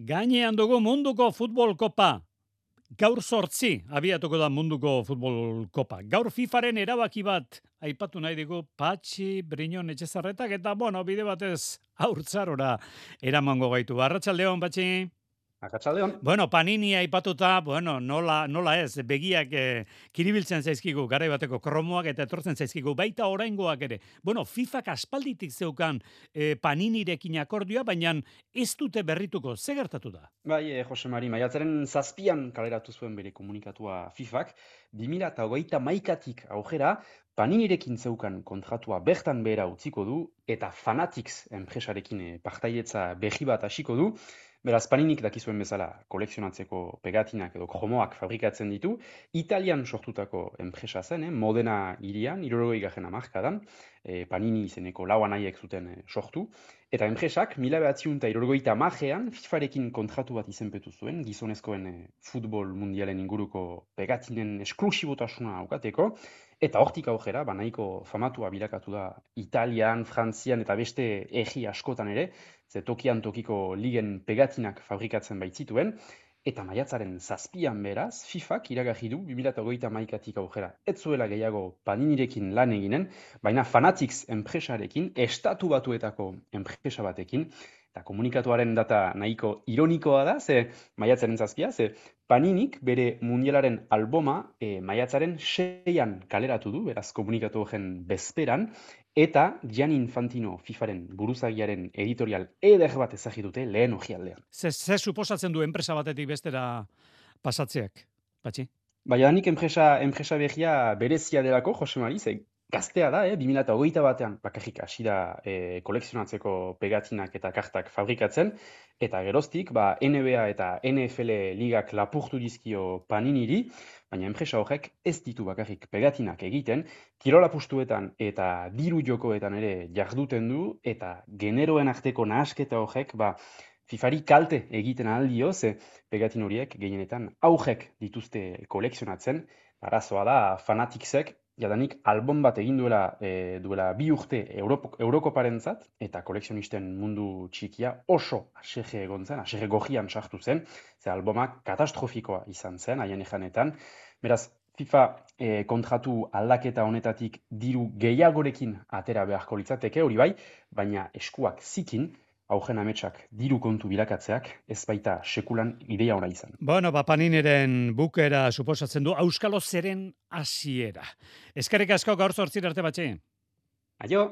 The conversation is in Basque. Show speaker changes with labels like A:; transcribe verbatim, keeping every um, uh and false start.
A: Gainean dugu munduko futbol kopa. Gaur sortzi abiatuko da munduko futbol kopa. Gaur FIFAren erabaki bat aipatu nahi digu Patxi Briñon Etxezarretak eta bueno, bide batez haurtzarora eramango gaitu. Arratsaldeon, Patxi.
B: Arratsaldeon.
A: Bueno, Panini aipatuta, bueno, nola, nola ez, begiak eh, kiribiltzen zaizkigu, garai bateko kromoak eta etortzen zaizkigu, baita oraingoak ere. Bueno, FIFAk aspalditik zeukan eh, Paninirekin akordioa, baina ez dute berrituko, ze gertatu da?
B: Bai, eh, Jose Mari, maiatzaren zazpian kaleratu zuen bere komunikatua FIFAk, bi mila hogeita hamaikatik aurrera, Paninirekin zeukan kontratua bertan behera utziko du, eta Fanatics enpresarekin eh, partailetza berri bat hasiko du. Beraz, Paninik dakizuen bezala kolekzionatzeko pegatinak edo kromoak fabrikatzen ditu, Italian sortutako enpresa zen, eh, Modena hirian, hirurogei garren hamarkadan, eh, Panini izeneko lau anaiek zuten eh, sortu, eta enpresak mila bederatziehun eta hirurogeita hamarean FIFArekin kontratu bat izenpetu zuen, gizonezkoen eh, futbol mundialen inguruko pegatinen esklusibotasuna aukateko, eta hortik aurrera, ba, nahiko famatua bilakatu da Italian, Frantzian eta beste herri askotan ere, ze tokian tokiko ligen pegatinak fabrikatzen baitzituen, eta maiatzaren zazpian beraz, FIFAk iragarri du bi mila hogeita hamaikatik aurrera ez zuela gehiago Paninirekin lan eginen, baina Fanatics enpresarekin, estatu batuetako enpresa batekin, eta komunikatuaren data nahiko ironikoa da, ze maiatzaren zazpia, ze Paninik bere mundialaren alboma e, maiatzaren seian kaleratu du, beraz komunikatu horren bezperan, eta Gianni Infantino FIFAren buruzagiaren editorial eder bat ezagri dute lehen orrialdean.
A: Ze, ze suposatzen du enpresa batetik bestera pasatzeak, Patxi?
B: Baina nik enpresa, enpresa berria berezia delako, Jose Mari, ze gaztea da, eh? bi mila hogeita batean bakarrik hasi da eh, kolekzionatzeko pegatinak eta kartak fabrikatzen, eta geroztik ba, N B A eta N F L ligak lapurtu dizkio Paniniri, baina enpresa horrek ez ditu bakarrik pegatinak egiten, kirola pustuetan eta diru jokoetan ere jarduten du, eta generoen arteko nahasketa horrek ba, FIFAri kalte egiten aldio, ze pegatin horiek gehienetan aurrek dituzte kolekzionatzen, arazoa da Fanaticsek, jadanik album bat egin duela, e, duela bi urte Europ Eurokoparentzat, eta kolekzionisten mundu txikia oso aserre egon zen, aserre gorrian sartu zen, ze albumak katastrofikoa izan zen, haien ejanetan. Beraz, FIFA e, kontratu aldaketa honetatik diru gehiagorekin atera beharko litzateke, hori bai, baina eskuak zikin, augen ametsak diru kontu bilakatzeak, ez baita sekulan ideia ona izan.
A: Bueno, ba, Panineren bukera suposatzen du Auskalo zeren hasiera. Eskerrik asko gaur zortzir arte, Patxi.
B: Aio!